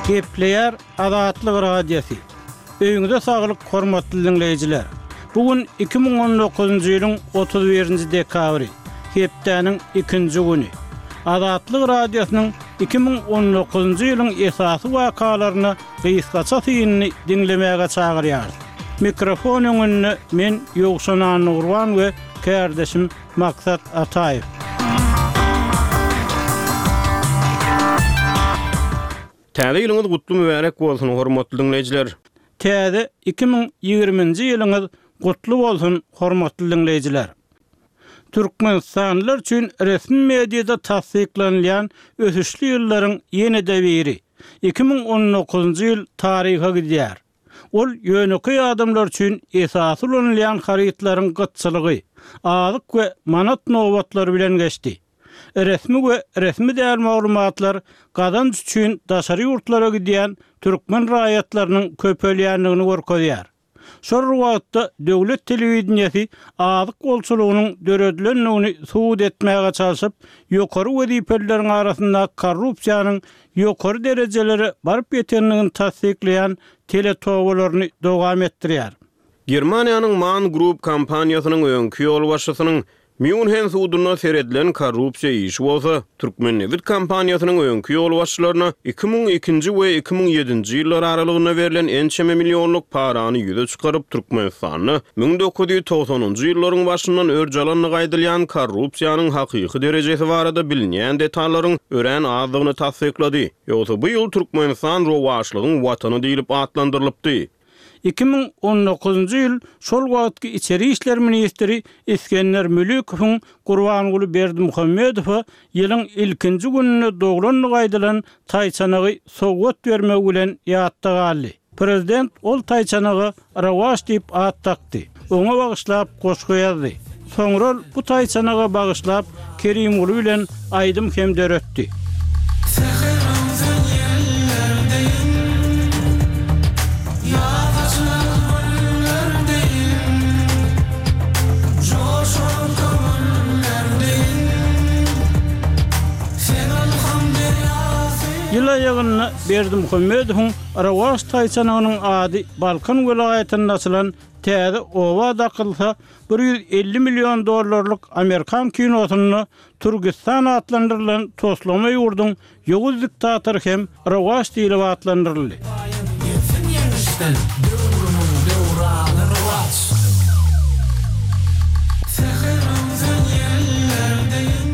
Gepleýär Azatlyk Radiosy. Öýüňize saglyk hormatly diňleýjiler! Bu gün 2019-njy ýylyň 31-nji dekabry, hepdäniň ikinji güni. Azatlyk Radiosynyň 2019-njy ýylyň esasy wakalaryna gysgaça synyny diňlemäge çagyrýarys. Mikrofon öňünde men Ýowşan Annagurban we kärdeşim Maksat Ataýew. Täze ýylyňyz gutly mübärek bolsun hormatly diňleýjiler! Täze 2020-nji ýylyňyz gutly bolsun hormatly diňleýjiler! Türkmenistanlylar üçin resmi mediada tassyklanylýan ösüşli ýyllaryň ýene-de biri, 2019-njy ýyl taryha gidýär. Ol ýönekeý adamlar üçin esasy ulanylýan harytlaryň gytçylygy, azyk we manat nobatlary bilen geçdi. Resmi we resmi däl maglumatlar gazanç üçin daşary ýurtlara gidýän türkmen raýatlarynyň köpelýändigini görkezýär. Şol bir wagtda döwlet telewideniýesi azyk bolçulygynyň döredilendigini subut etmäge çalşyp, ýokary wezipelileriň arasynda korrupsiýanyň ýokary derejelere baryp ýetendigini tassyklaýan teletobalaryny dowam etdirýär. Germaniýanyň Man Group kompaniýasynyň öňki ýolbaşçysynyň Mýunhen sudunda seredilen korrupsiýa işi bolsa, Türkmennebit kompaniýasynyň öňki ýolbaşçylaryna 2002-nji we 2007-nji ýyllar aralygynda berlen ençeme millionlyk parany ýüze çykaryp, Türkmenistanda 1990-njy ýyllaryň başyndan örç alandygy aýdylýan korrupsiýanyň hakyky derejesi barada bilinýän detallaryň örän azdygyny tassyklady. Ýogsa bu ýyl Türkmenistan rowaçlygyň watany diýlip atlandyrylypdy. 2019-njy ýyl şol wagtky içeri işler ministri Isgender Mülükowyň Gurbanguly Berdimuhamedowa ýylyň ilkinji gününde doglandygy aýdylan taýçanagy sowgat bermegi bilen ýatda galdy. Prezident ol taýçanaga Rowaç diýip at dakdy. Oňa bagyşlap goşgy ýazdy. Soňra ol bu taýçanaga bagyşlap Kerimguly bilen aýdym hem döretdi. Säher öwsen ýeller deýin, Ýaz açylan güller deýin, Joşan köňüller deýin, Sen ylham derýasy. Ýyl aýagynda Berdimuhamedowyň Rowaç taýçanagynyň ady Balkan welaýatynda açylan täze oba dakylsa, 150 million dollarlyk amerikan kinosynda Türgistan atlandyrylan toslama ýurduň ýowuz diktatory hem Rowaç diýlip atlandyryldy. Gelsin ýeňişden döwrümiň döwrany rowaç. Säher öwsen ýeller deýin.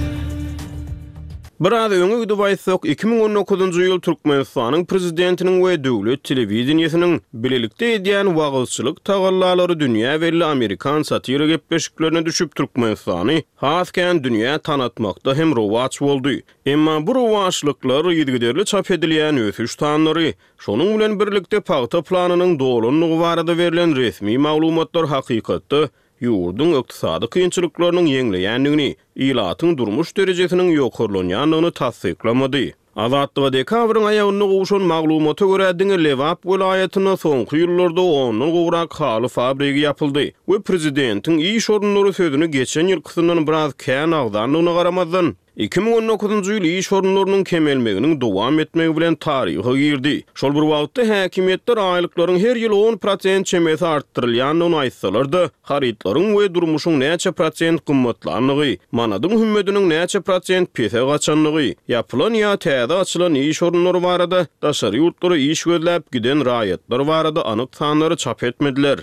Biraz öňe gidip aýtsak, 2019-njy ýyl Türkmenistanyň Prezidentiniň we döwlet telewideniýesiniň bilelikde edýän wagyzçylyk tagallalary dünýä belli amerikan satira gepleşiklerine düşüp Türkmenistany has kän dünýä tanatmakda hem rowaç boldy. Emma bu rowaçlyklar yzygiderli çap edilýän ösüş sanlary, şonuň bilen birlikde pagta planynyň dolandygy barada berlen resmi maglumatlar hakykatda ýurduň ykdysady kynçylyklarynyň ýeňleýändigini, ilatyň durmuş derejesiniň ýokarlanýandygyny tassyklamady. Azatlyga dekabryň aýagynda gowşan maglumata görä, diňe Lebap welaýatynda soňky ýyllarda ondan gowrak haly fabrigi ýapyldy we prezidentiň iş orunlary sözüni geçen ýylkysyndan biraz kän agzandygyna garamazdan, 2019-njy ýyl iş orunlarynyň kemelmeginiň dowam etmegi bilen taryha girdi. Şol bir wagtda, häkimiýetler aýlyklaryň her ýyl on prosent çemesi artdyrylýandygyny aýtsalar-da, harytlaryň we durmuşyň näçe prosent gymmatlandygy, manadyň hümmediniň näçe prosent pese gaçandygy, ýapylan ýa täze açylan iş orunlary barada, daşary ýurtlara iş gözläp giden raýatlar barada anyk sanlary çap etmediler.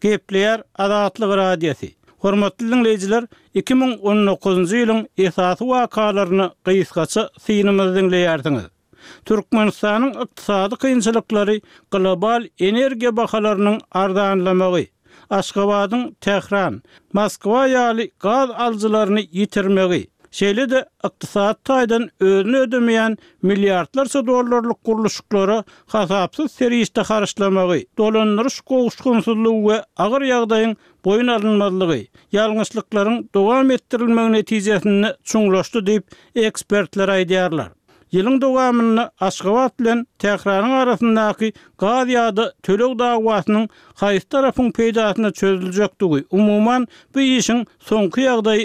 Gepleýär Azatlyk Radiosy. Hormatly diňleýjiler, 2019-njy ýylyň esasy wakalaryna gysgaça synymyzy diňleýärsiňiz. Türkmenistanyň ykdysady kynçylyklary global energiýa bahalarynyň arzanlamagy, Aşgabadyň Tähran, Moskwa ýaly gaz alyjylaryny ýitirmegi, şeýle-de ykdysady taýdan özüni ödemeýän milliardlarça dollarlyk gurluşyklara hasapsyz serişde harçlamagy, dolandyryş gowuşgynsyzlygy we agyr ýagdaýyň boýun alynmazlygy, ýalňyşlyklaryň dowam etdirilmegi netijesinde çuňlaşdy diýip, ekspertler aýdýarlar. Ýylyň dowamynda Aşgabat bilen Tähranyň arasyndaky gaz ýa-da töleg dawasynyň haýsy tarapyň peýdasyna çözüljekdigi, umuman, bu işiň soňky ýagdaýy.